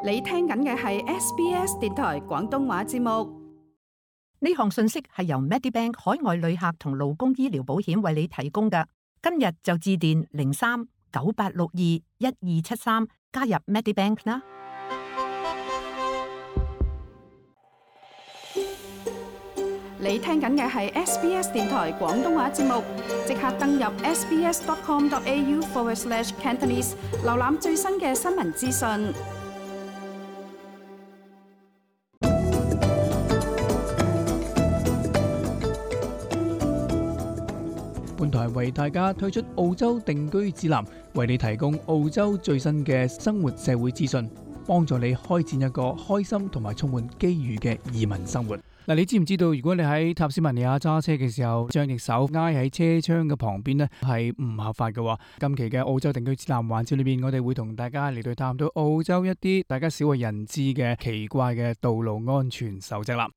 你聽緊嘅係 SBS 電台廣東話節目。呢項信息係由 Medibank 海外旅客同勞工醫療保險為你提供嘅。今日就致電03-9862-1273加入 Medibank 啦。你聽緊嘅係 SBS 電台廣東話節目，即刻登入 sbs.com.au/Cantonese 瀏覽最新嘅新聞資訊。本台為大家推出澳洲定居指南，為你提供澳洲最新嘅生活社會資訊，幫助你開展一個開心同埋充滿機遇嘅移民生活。嗱，你知唔知道，如果你喺塔斯曼尼亞揸車嘅時候，將隻手挨喺車窗嘅旁邊呢，係唔合法嘅。今期嘅澳洲定居指南環節裏邊，我哋會同大家嚟到探討澳洲一啲大家少為人知嘅奇怪嘅道路安全守則啦。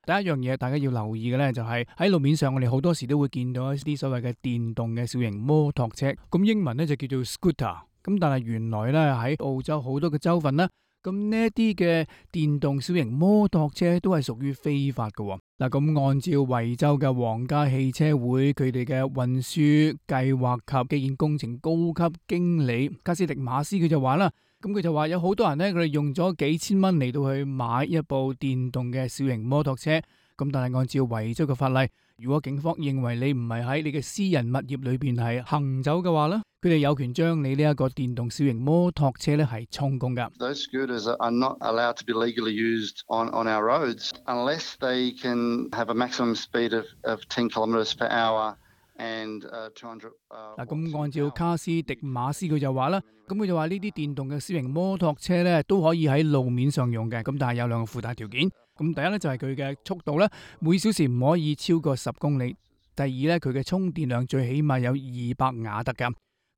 第一樣嘢大家要留意嘅呢，就係喺路面上，我哋好多時都會見到一啲所謂嘅電動嘅小型摩托車，咁英文呢就叫做 scooter。咁但係原來呢，喺澳洲好多嘅州份呢，咁呢一啲嘅電動小型摩托車都係屬於非法嘅。嗱，咁按照維州嘅皇家汽車會佢哋嘅運輸計劃及基建工程高級經理卡斯迪馬斯佢就話啦，咁佢就話有好多人呢，佢哋用咗幾千蚊嚟到去買一部電動嘅小型摩托車，咁但係按照維州嘅法例，如果警方認為你唔係喺你嘅私人物業裏邊係行走嘅話呢，佢哋有權將你呢一個電動小型摩托車咧係充公噶。Those scooters are not allowed to be legally used on our roads unless they can have a maximum speed of 10 kilometers per hour and 200。嗱，咁按照卡斯迪馬斯佢就話啦，咁佢就話呢啲電動嘅小型摩托車咧都可以喺路面上用嘅，咁但係有兩個附帶條件。咁第一咧就係佢嘅速度咧，每小時唔可以超過10公里。第二咧，佢嘅充電量最起碼有200瓦特噶。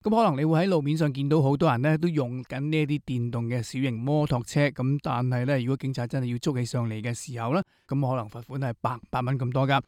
咁可能你會喺路面上見到好多人咧都用緊呢一啲電動嘅小型摩托車，咁但係咧，如果警察真係要捉起上嚟嘅時候咧，咁可能罰款係800蚊咁多噶。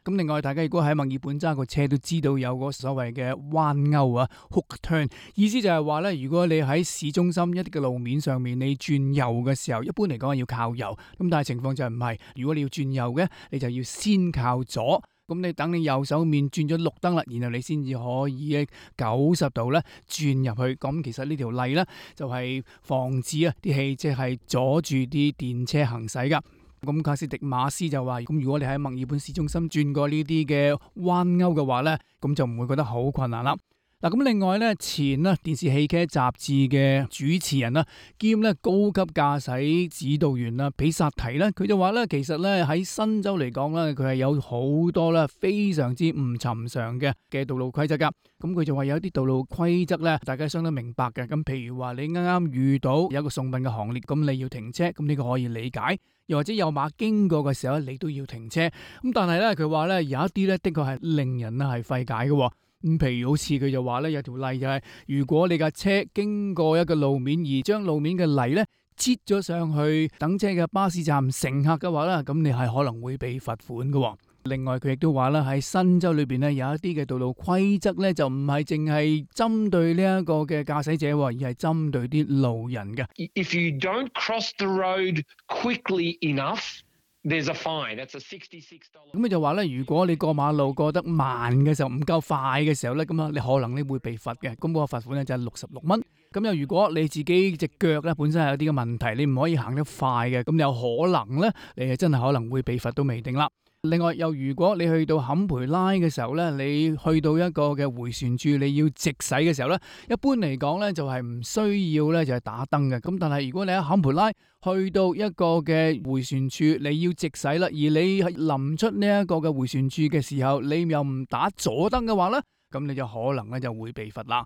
咁另外，大家如果喺墨爾本揸個車都知道有個所謂嘅彎勾啊 ，hook turn， 意思就係話咧，如果你喺市中心一啲嘅路面上面，你轉右嘅時候，一般嚟講係要靠右，咁但係情況就唔係，如果你要轉右嘅，你就要先靠左，咁你等你右手面轉咗綠燈啦，然後你先至可以90度咧轉入去。咁其實呢條例咧就係防止啊啲汽車係阻住啲電車行駛噶。咁卡斯迪馬斯就話，咁如果你喺墨爾本市中心轉過呢啲嘅彎勾嘅話呢，咁就唔會覺得好困難啦。嗱，咁另外呢，前電視汽車雜誌嘅主持人啦，兼高級駕駛指導員啦，比薩提呢，佢就話呢，其實呢，喺新州嚟講呢，佢係有好多呢非常之唔尋常嘅道路規則噶。咁佢就話有啲道路規則呢，大家相當明白嘅。咁譬如話你啱啱遇到有一個送殯嘅行列，咁你要停車，咁呢個可以理解。又或者有馬經過嘅時候，你都要停車。咁但係呢，佢話呢，有一啲呢，的確係令人係費解嘅。咁譬如好似佢就話咧，有條例就係，如果你架車經過一個路面而將路面嘅泥咧擠咗上去等車嘅巴士站乘客嘅話咧，咁你係可能會被罰款嘅。另外佢亦都話啦，喺新州裏邊咧有一啲嘅道路規則咧就唔係淨係針對呢一個嘅駕駛者，而係針對啲路人嘅。If you don't cross the road quickly enough，there's a fine. That's a $66。咁佢就話咧，如果你過馬路過得慢嘅時候，唔夠快嘅時候咧，咁啊，你可能你會被罰嘅。咁嗰個罰款咧就係66蚊。咁又如果你自己隻腳咧本身係有啲嘅問題，你唔可以行得快嘅，咁有可能咧，你係真係可能會被罰都未定啦。另外，又如果你去到坎培拉嘅時候咧，你去到一個嘅迴旋處，你要直駛嘅時候咧，一般嚟講咧就係唔需要咧就係打燈嘅。咁但係如果你喺坎培拉去到一個嘅迴旋處，你要直駛啦，而你係臨出呢一個嘅迴旋處嘅時候，你又唔打左燈嘅話咧，咁你就可能咧就會被罰啦。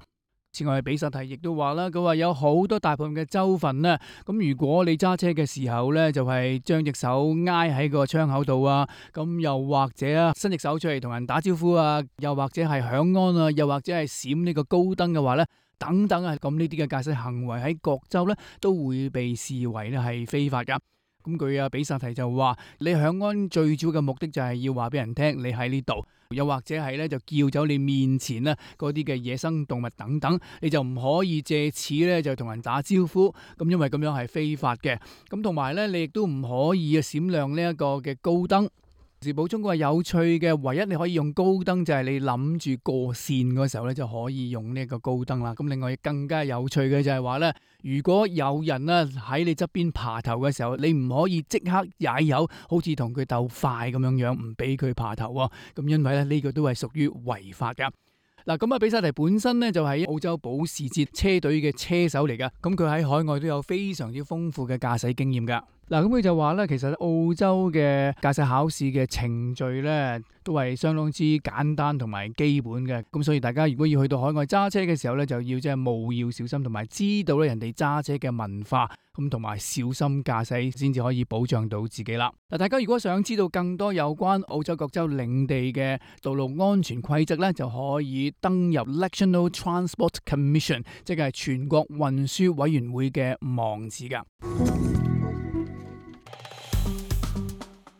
此外，比薩提亦都話啦，佢話有好多大部分嘅州份咧，咁如果你揸車嘅時候咧，就係將隻手挨喺個窗口度啊，咁又或者啊，伸隻手出嚟同人打招呼啊，又或者係響安啊，又或者係閃呢個高燈嘅話咧，等等啊，咁呢啲嘅駕駛行為喺各州咧都會被視為咧係非法噶。咁佢比薩提就話，你響安最主要嘅目的就係要話俾人聽你喺呢度，又或者係咧就叫走你面前咧嗰啲嘅野生動物等等，你就唔可以借此咧就同人打招呼，咁因為咁樣係非法嘅。咁同埋咧，你亦都唔可以閃亮呢一個嘅高燈。是補充嘅有趣嘅，唯一你可以用高燈就係你諗住過線嗰時候咧就可以用呢個高燈啦。咁另外更加有趣嘅就係話咧，如果有人咧喺你側邊爬頭嘅時候，你唔可以即刻踩油，好似同佢鬥快咁樣，唔俾佢爬頭喎。咁因為咧呢個都係屬於違法㗎。嗱，咁啊，比薩提本身咧就係澳洲保時捷車隊嘅車手嚟噶，咁佢喺海外都有非常之豐富嘅駕駛經驗噶。嗱，咁佢就話咧，其實澳洲嘅駕駛考試嘅程序咧都係相當之簡單同埋基本嘅，咁所以大家如果要去到海外揸車嘅時候咧，就要即係務要小心，同埋知道咧人哋揸車嘅文化，咁同埋小心駕駛先至可以保障到自己啦。嗱，大家如果想知道更多有關澳洲各州領地嘅道路安全規則咧，就可以登入 National Transport Commission， 即係全國運輸委員會嘅網址噶。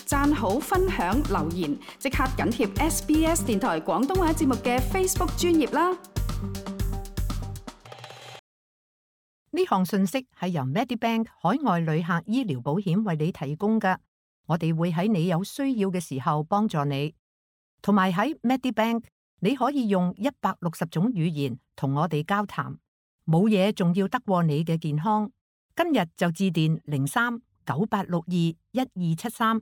讚好、分享、留言，即刻緊貼 SBS 電台廣東話節目嘅 Facebook 專頁啦！呢項信息係由 Medibank 海外旅客醫療保險為你提供㗎，我哋會喺你有需要嘅時候幫助你。同埋喺 Medibank， 你可以用160種語言同我哋交談，冇嘢仲要得過你嘅健康。今日就致電03-9862-1273。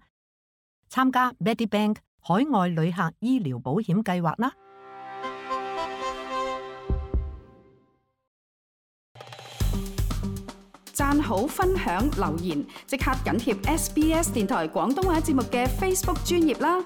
參加 Medibank 海外旅客醫療保險計劃啦！讚好、分享、留言，即刻緊貼SBS 電台廣東話節目嘅 Facebook 專頁啦！